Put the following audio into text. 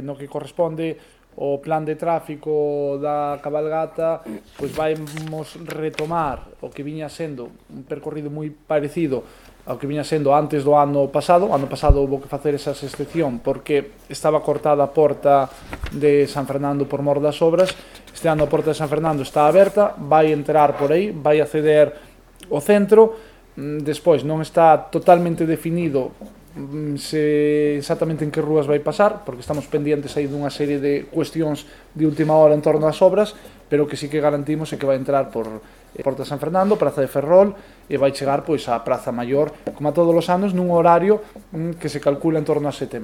no que corresponde o plan de tráfico da cabalgata, pois vamos retomar o que viña sendo un percorrido moi parecido ao que viña sendo antes do ano pasado. O ano pasado houve que facer esa excepción porque estaba cortada a porta de San Fernando por mor das obras. Este ano a porta de San Fernando está aberta, vai entrar por aí, vai acceder ao centro. Despois non está totalmente definido exactamente en que rúas vai pasar, porque estamos pendientes aí dunha serie de cuestións de última hora en torno ás obras, pero que sí que garantimos é que vai entrar por Porta San Fernando, Praza de Ferrol, e vai chegar pois á Praza Maior, como a todos os anos, nun horario que se calcula en torno a 7:30.